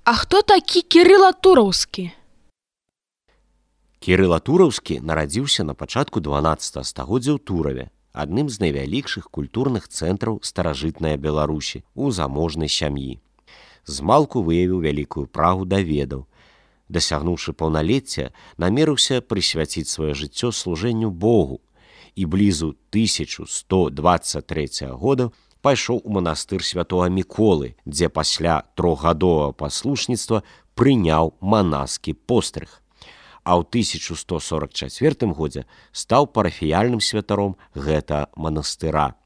А хто такі Кірыла Тураўскі? Кірыла Тураўскі нарадзіўся на пачатку 12 стагоддзя ў Тураве, адным з найвялікшых культурных цэнтраў старажытнай Беларусі у заможнай сям'і. Змалку выявіў вялікую прагу да ведаў. Дасягнуўшы паўналецця, намерыўся прысвяціць сваё жыццё служэнню Богу і блізу 1123 года пайшоў у манастыр святога Міколы, дзе пасля трохгадовага паслушніцтва прыняў манаскі пострыг. А ў 1144 годзе стаў парафіяльным святаром гэта манастыра.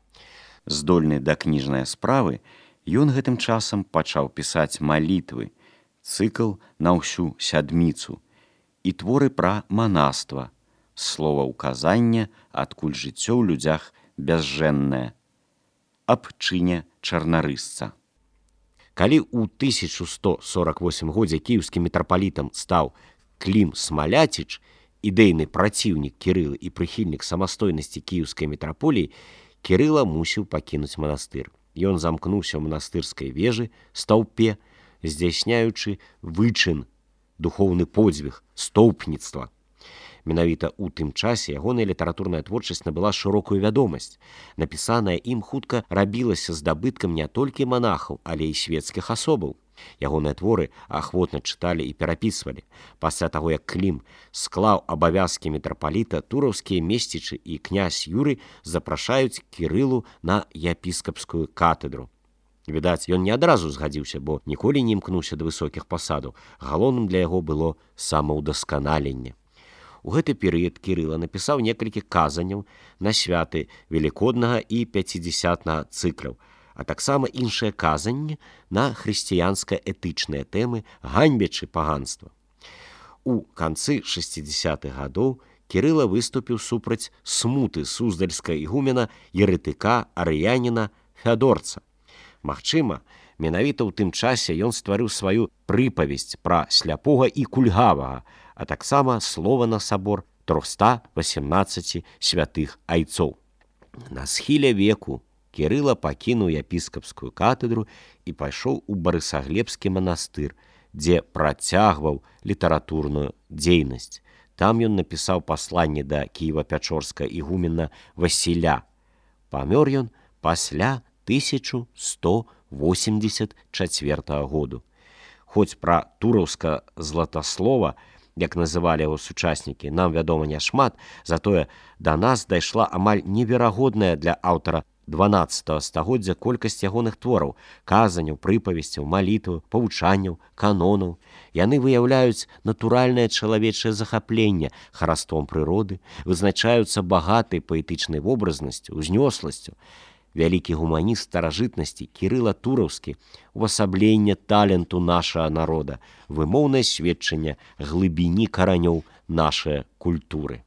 Здольны да кніжнай справы, ён гэтым часам пачаў пісаць малітвы, цыкл на ўсю сядміцу і творы пра манаства, словаўказання, адкуль жыццё ў людзях бязжэннае, аб чыне чарнарысца. Калі ў 1148 годзе кіеўскім мітрапалітам стаў Клім Смаляціч, ідэйны праціўнік Кірылы і прыхільнік самастойнасці кіеўскай мітраполіі, Кірыла мусіў пакінуць манастыр. Ён замкнуўся ў манастырскай вежы, стаўпе, здзяйсняючы вычын, духоўны подзвіг, стоўпніцтва. Менавіта ў тым часе ягоная літаратурная творчасць набыла шырокую вядомасць. Напісаная ім хутка рабілася здабыткам не толькі манахаў, але і свецкіх асобаў. Ягоныя творы ахвотна чыталі і перапісвалі. Пасля таго, як Клім склаў абавязкі мітрапаліта, тураўскія месцічы і князь Юрый запрашаюць Кірылу на епіскапскую катедру. Відаць, ён не адразу згадзіўся, бо ніколі не імкнуўся да высокіх пасадаў. Галоўным для яго было самаўдасканаленне. У гэты перыяд Кірыла напісаў некалькі казанняў на святы велікоднага і пяцідзясятнага цыкляў, а таксама іншыя казанні на хрысціянска-этычныя тэмы, ганьбячы паганства. У канцы 60-х гадоў Кірыла выступіў супраць смуты суздальскага ігумена еретыка арыяніна Фядорца. Магчыма, менавіта ў тым часе ён стварыў сваю прыпавесць пра сляпога і кульгавага, а таксама слова на сабор 318 святых айцоў. На схіле веку Кірыла пакінуў епіскапскую катедру і пайшоў у Барысаглебскі манастыр, дзе працягваў літаратурную дзейнасць. Там ён напісаў пасланне да кіева-пячорскага ігумена Васіля. Памёр ён пасля 1184 году. Хоць пра тураўска златаслова, як называлі яго сучаснікі, нам вядома няшмат, затое да нас дайшла амаль неверагодная для аўтара 12 стагоддзя колькасць ягоных твораў, казанняў, прыпавесцяў, малітваў, павучанняў, канонаў. Яны выяўляюць натуральнае чалавечае захапленне хараством прыроды, вызначаюцца багатай паэтычнай вобразнасцю, узнёсласцю. Вялікі гуманіст старажытнасці Кірыла Тураўскі, увасабленне таленту нашага народа, вымоўнае сведчанне глыбіні каранёў нашай культуры.